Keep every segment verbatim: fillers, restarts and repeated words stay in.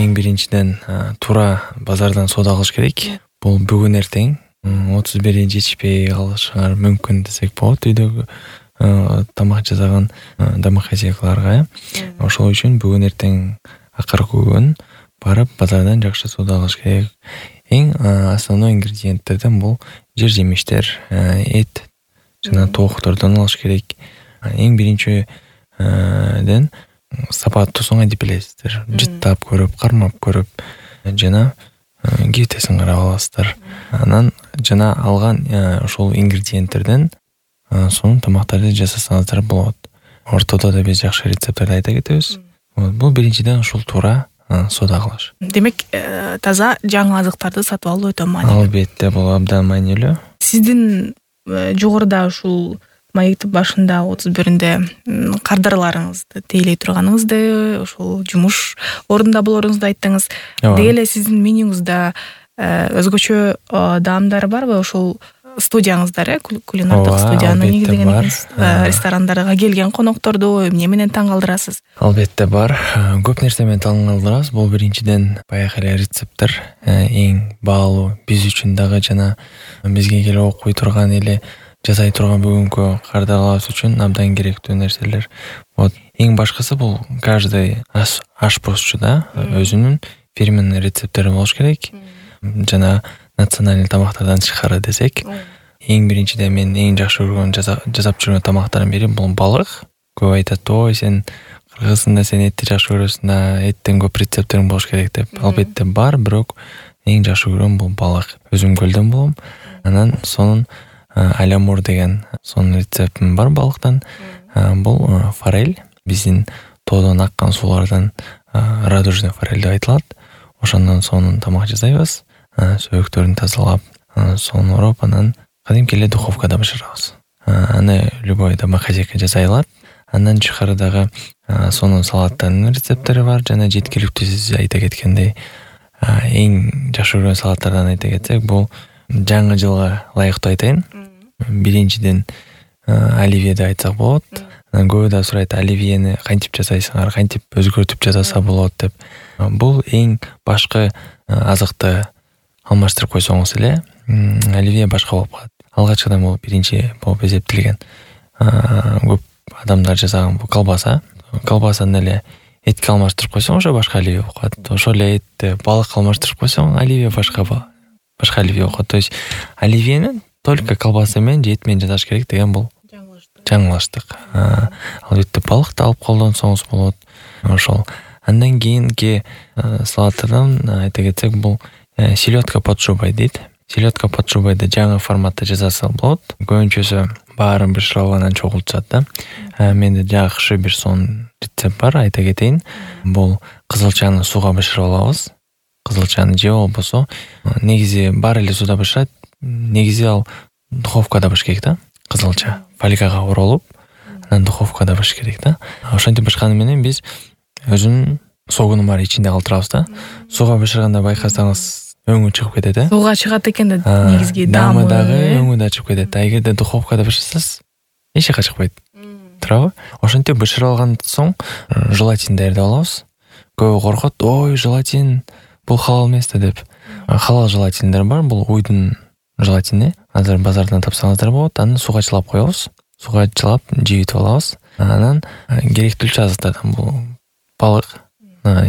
эң биринчиден туура базардан соода кылыш керек. Бул бүгүн эртең отуз бiri жетишпей калышыңар мүмкүн десек болот. Үйдөгү тамак жасаган домохозяйкаларга. Ошол үчүн бүгүн эртең акыркы күн барып базардан жакшы соода кылыш керек. Эң основной ингредиенттерден бул жер жемиштер, эт жана тооктордон алыш керек. Эң биринчиден сапаттуу соң деп билесиздер. Жыттап көрүп, кармап көрүп жана кептесин карап аласыздар. Анан жана алган ошол ингредиенттерден сонун тамактарды жасасаңыздар болот. Ортодо да биз жакшы рецепттерди айта кетебиз. Бул биринчиден ушул туура соода кылыш. Демек, таза жаңы азыктарды сатып алуу өтө маанилүү. Албетте, бул абдан маанилүү. Сиздин жогоруда ушул маектин башында отуз биринде кардарларыңызды тейлей турганыңызды, ошол жумуш ордунда болоруңузду айттыңыз. Деги эле сиздин менюңузда өзгөчө даамдар барбы? Ошол студияңыздар, кулинардык студияны негиздеген экенсиз. Ресторандарга келген конокторду эмне менен таң калтырасыз? Албетте бар. Көп нерсе менен таң калтырабыз. Бул биринчиден баягы эле рецепттер эң баалуу биз үчүн дагы жана бизге келип окуй турган эле жасай турган бүгүнкү кардарларыбыз үчүн абдан керектүү нерселер. Вот эң башкысы бул каждый ашпозчу да өзүнүн фирменный рецепттери болуш керек. Жана национальный тамактардан тышкары десек, эң биринчиден мен эң жакшы көргөн жасап жүргөн тамактардын бири бул балык. Көп айтат, ой сен кыргызсың да, сен этти жакшы көрөсүң да, эттен көп рецепттериң болуш керек деп. Албетте бар, бирок эң жакшы көргөн бул балык. Өзүм көлдөн болом. Анан сонун алямур деген сонун рецептим бар балыктан. Бул форель, биздин тоодон аккан суулардан радужный форель деп айтылат. Ошондон сонун тамак жасайбыз. Сөйөктөрүн тазалап, сонун ороп, анан кадимки эле духовкада бышырабыз. Аны любой домохозяйка жасай алат. Андан тышкары дагы сонун салаттардын рецепттери бар. Жана жеткиликтүү сиз айта кеткендей, эң жакшы көргөн салаттардан айта кетсек, бул жаңы жылга ылайыктуу айтайын. Биринчиден оливье деп айтсак болот. Анан көбү да сурайт, оливьени кантип жасайсыңар, кантип өзгөртүп жасаса болот деп. Бул эң башкы азыкты алмаштырып койсоңуз эле, оливье башка болуп калат. Алгачкыдан бул биринчи болуп эсептелген. Көп адамдар жасаган бул колбаса. Колбасаны эле этке алмаштырып койсоң, ошо башка оливье болуп калат. Ошол эле этти балыкка алмаштырып койсоң, оливье башка башка оливье болуп калат. То есть оливьени только колбаса менен же эт менен жасаш керек деген бул жаңылыштык. Албетте балыкты алып колдонсоңуз болот. Ошол. Андан кийинки салаттардан айта кетсек, бул селедка под шубой дейт. Селедка под шубойду жаңы форматта жасаса болот. Көбүнчөсү баарын бышырып анан чогултушат да. Менде жакшы бир сонун рецепт бар, айта кетейин. Бул кызылчаны сууга бышырып алабыз. Кызылчаны же болбосо негизи бар эле сууда бышырат. Негизи ал духовкада бышыш керек да. Кызылча фольгага оролуп, анан духовкада бышыш керек да. Ошентип бышканы менен биз өзүнүн согуну бар ичинде калтырабыз да. Сууга бышырганда байкасаңыз өңү чыгып кетет э. Сууга чыгат экен да негизги даамы дагы өңү да чыгып кетет. А эгерде духовкада бышырсаңыз эч жака чыкпайт. Туурабы? Ошентип бышырып алгандан соң желатинди даярдап алабыз. Көбү коркот, ой, желатин бул халал эмес да деп. Халал желатиндер бар, бул уйдун желатини. Азыр базардан тапсаңыздар болот. Аны сууга чылап коебуз. Сууга чылап жибитип алабыз. Анан керектүүлчү азыктардан бул балык,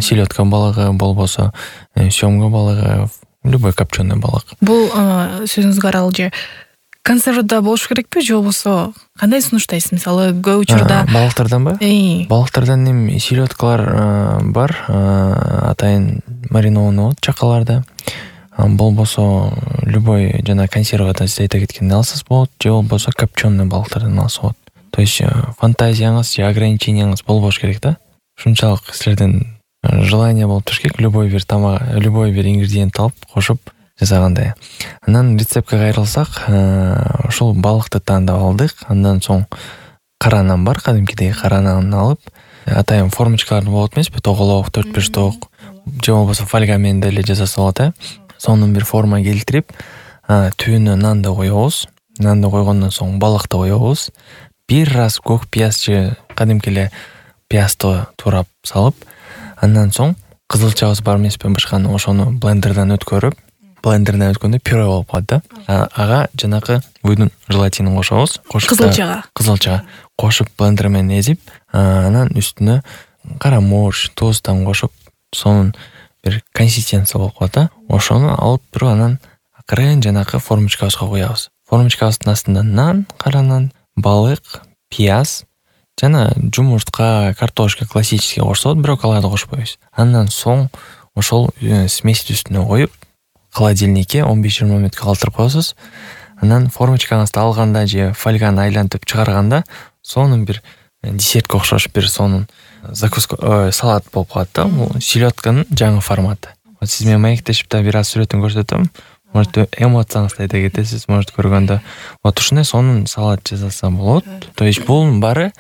селедка балыгы болбосо, сёмга балыгы, любой копченый балык. Бул сөзүңүзгө аралуу же консервада болуш керекпи же болбосо кандай сунуштайсыз? Мисалы, көп учурда балыктарданбы? Балыктардан эми селедкалар бар, атайын маринованный болот чакаларда. Болбосо любой жана консервадан сиз айта кеткендей алсаңыз болот, же болбосо копченый балыктардан алса болот. То есть фантазияңыз же ограниченияңыз болбош керек да. Ушунчалык силерден желание болуп туруш керек, любой бир тамак, любой бир ингредиент алып кошуп жасагандай. Анан рецептке кайрылсак, ошол балыкты тандап алдык. Андан соң кара нан бар, кадимкидей кара нанды алып, атайын формочкалар болот эмеспи, тоголок, төрт беш ток, же болбосо фольга менен деле жасаса болот э. Сонун бир форма келтирип, түбүнө нанды коебуз. Нанды койгондон соң балыкты коебуз. Бир раз көк пияз же кадимки эле пиязды турап салып, андан соң кызылчабыз бар эмеспи башканы, ошону блендерден өткөрүп, блендерден өткөндө пюре болуп калат да. Ага жанакы буйдун желатинин кошобуз. Кызылчага. Кызылчага кошуп блендер менен эзип, анан үстүнө кара мурч, туздан кошуп, сонун бир консистенция болуп калат да. Ошону алып туруп анан акырын жанакы формочкабызга куябыз. Формочкабыздын астында нан, кара нан, балык, пияз жана жумуртка, картошка классический кошсо, бирок аларды кошпойбуз. Андан соң ошол смести үстүнө коюп, холодильникке он беш жыйырма мүнөткө калтырып коесуз. Анан формочкаңызды алганда же фольганы айлантып чыгарганда сонун бир десертке окшош бир сонун закуска, салат болуп калат да. Бул селёдканын жаңы форматы. Вот сиз менен маектешип да бир аз сүрөтүн көрсөтөм. Может эмоцияңызды айта кетесиз, может көргөндө. Вот ушундай сонун салат жасаса болот. То есть бул баары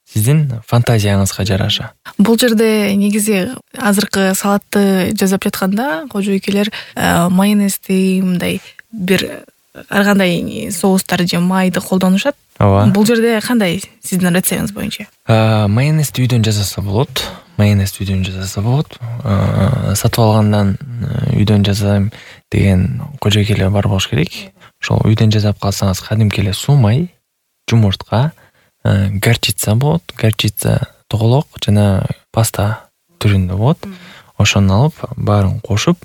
сиздин фантазияңызга жараша. Бул жерде негизи азыркы салатты жасап жатканда кожойкелер майонезди, мындай бир ар кандай соустар же майды колдонушат. Ооба. Бул жерде кандай сиздин рецептиңиз боюнча? Майонезди үйдөн жасаса болот. Майонезди үйдөн жасаса болот. Сатып алгандан үйдөн жасайм деген кожойкелер бар болуш керек. Ошол үйдөн жасап калсаңыз кадимки эле суу май, жумуртка, горчица болот. Горчица тоголок жана паста түрүндө болот. Ошону алып, баарын кошуп,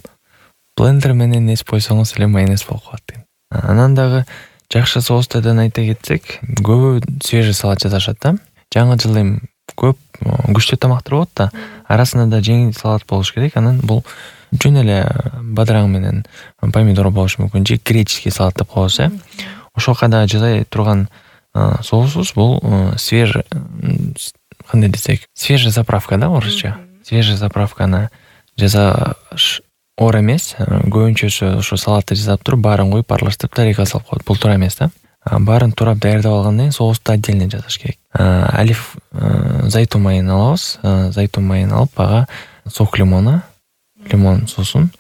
блендер менен эзип койсоңуз эле майонез болуп калат. Анан дагы жакшы соустардан айта кетсек, көбү свежий салат жасашат да. Жаңы жыл эми көп күчтүү тамактар болот да, арасында да жеңил салат болуш керек. Анан бул жөн эле бадыраң менен помидор болушу мүмкүн, же греческий салат деп коебуз, э. Ошол кайда жасай турган соусубуз бул свежий, кандай десек, свежая заправка да, орусча. Свежая заправканы жасаш оор эмес. Көбүнчөсү ошо салатты жасап туруп, баарын коюп аралаштырып тарелкага салып коет. Бул туура эмес да. Баарын турап даярдап алгандан кийин соусту отдельно жасаш керек. Алиф зайтун майын алабыз. Зайтун майын алып, ага сок лимона, лимон суусун,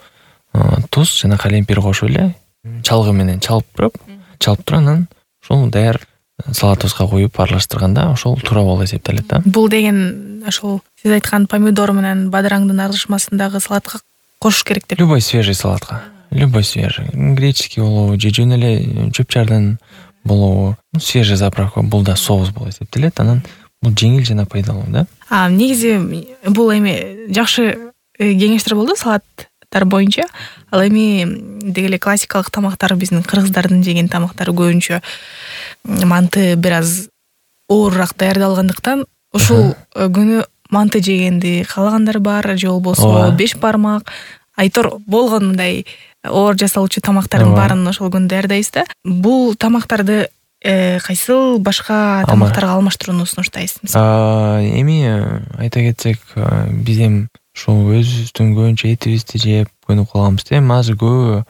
туз жана калемпир кошуп эле чалгы менен чалып туруп, чалып туруп анан ошол даяр салатыбызга коюп аралаштырганда ошол туура болуп эсептелет да. Бул деген ошол сиз айткан помидор менен бадыраңдын аралашмасындагы салатка кошуш керек деп. Любой свежий салатка. Любой свежий. Греческий болобу, же жөн эле чөп-чардан болобу. Свежий заправка, бул да соус болуп эсептелет. Анан бул жеңил жана пайдалуу да. А негизи бул эми жакшы кеңештер болду салаттар боюнча. Ал эми деги эле классикалык тамактар, биздин кыргыздардын жеген тамактары көбүнчө манты бир аз оорураак даярдалгандыктан ушул күнү манты жегенди каалагандар бар, же болбосо беш бармак, айтор болгон мындай оор жасалуучу тамактардын баарын ошол күнү даярдайбыз да. Бул тамактарды кайсыл башка тамактарга алмаштырууну сунуштайсыз? Эми айта кетсек, биз эми ушул өзүбүздүн көбүнчө этибизди жеп көнүп калганбыз да. Эми азыр көбү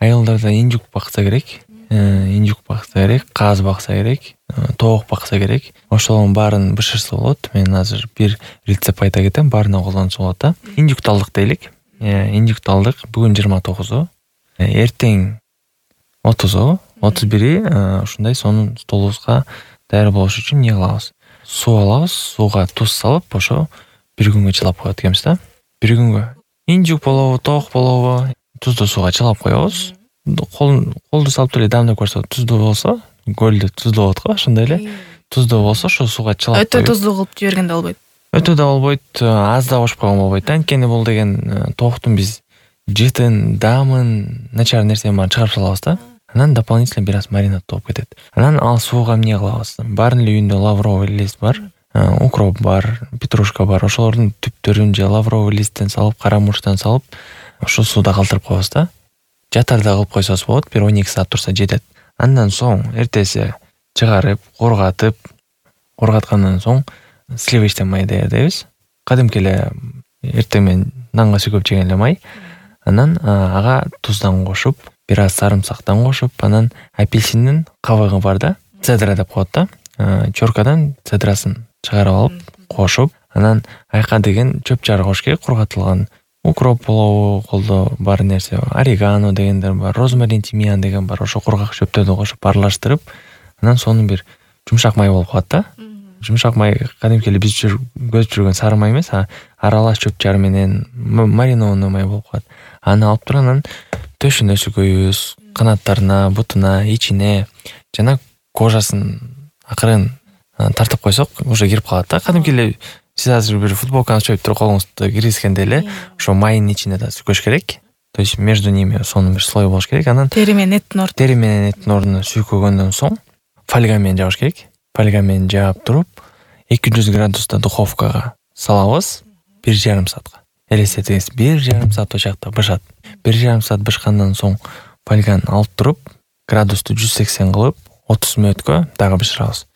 айылдарда инжук бакса керек, инжук бакса керек, каз бакса керек, тоок бакса керек. Ошолордун баарын бышырса болот. Мен азыр бир рецепт айта кетем, баарына колдонсо болот да. Инжукту алдык дейлик. Инжукту алдык. Бүгүн жыйырма тогузу, эртең отузу, отуз бири ушундай сонун столубузга даяр болуш үчүн эмне кылабыз? Суу алабыз, сууга туз салып, ошо бир күнгө чылап коет экенбиз да. Бир күнгө инжук болобу, тоок болобу, туздуу сууга чылап коебуз. Колду салып эле дамдап көрсө, туздуу болсо, көлдө туздуу болот го, ошондой эле. Туздуу болсо, ошо сууга чылап коюп. Өтө туздуу кылып жиберген да болбойт. Өтө да болбойт, аз да кошуп койгон болбойт да. Анткени бул деген тооктун биз жытын, дамын, начар нерсени баарын чыгарып салабыз да. Анан дополнительно бир аз маринад болуп кетет. Анан ал сууга эмне кылабыз? Баарынын эле үйүндө лавровый лист бар, укроп бар, петрушка бар. Ошолордун түптөрүн же лавровый листтен салып, кара мурчтан салып, ошо сууда калтырып коебуз да. Жатарда кылып койсоңуз болот, бир он эки саат турса жетет. Андан соң эртеси чыгарып, коргатып, коргаткандан соң сливочный май даярдайбыз. Кадимки эле эртең менен нанга сүйкөп жеген эле май. Анан ага туздан кошуп, бир аз сарымсактан кошуп, анан апельсиндин кабыгы бар да, цедра деп коет да. Чоркадан цедрасын чыгарып алып, кошуп, анан айка деген чөп-чар кош керек, кургатылган укроп болобу, колдо бар нерсе, орегано дегендер бар, розмарин, тимьян деген бар. Ошо кургак чөптөрдү кошуп аралаштырып, анан сонун бир жумшак май болуп калат да. жумшак май кадимки эле биз көзүп жүргөн сары май эмес, а аралаш чөп чар менен маринованный май болуп калат. Аны алып туруп анан төшүнө сүркөйбүз, канаттарына, бутуна, ичине жана кожасын акырын тартып койсок, уже кирип калат да. Кадимки эле сиз азыр бир футболканы чөйүп туруп колуңузду киргизгенде эле ошо майдын ичине да сүркөш керек. То есть между ними сонун бир слой болуш керек. Анан тери менен эттин ортосуна тери менен эттин ордуна сүйкөгөндөн соң фольга менен жабыш керек. Фольга менен жаап туруп эки жүз градуста духовкага салабыз бир жарым саатка. Элестетиңиз, бир жарым саат очакта бышат. бир жарым саат бышкандан соң фольганы алып туруп градусту жүз сексен кылып отуз мүнөткө дагы бышырабыз.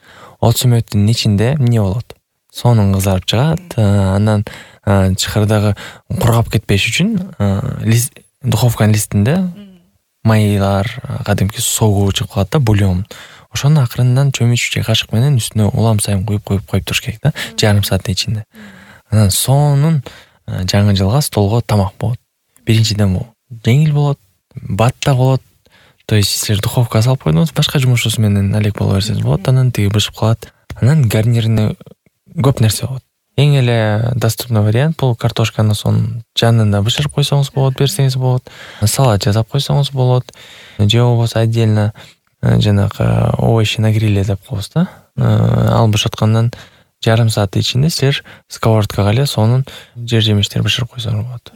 отуз мүнөттүн ичинде эмне болот? Сонун кызарып чыгат. Андан чыкырдагы кургап кетпеш үчүн духовканын листинде майлар, кадимки согуу чыгып калат да, бульон. Ошону акырындан чөмүч же кашык менен үстүнө улам сайын куюп куюп коюп туруш керек да, жарым сааттын ичинде. Анан сонун жаңы жылга столго тамак болот. Биринчиден бул жеңил болот, бат да болот. То есть силер духовкага салып койдуңуз, башка жумушуңуз менен алек боло берсеңиз болот, анан тиги бышып калат. Анан гарнирине көп нерсе болот. Эң эле доступный вариант бул картошканы сонун жанында бышырып койсоңуз болот, берсеңиз болот. Салат жасап койсоңуз болот. Же болбосо отдельно жанагы овощи на гриле деп коебуз да. Ал бышаткандан жарым саат ичинде силер сковородкага эле сонун жер жемиштер бышырып койсоңуз болот.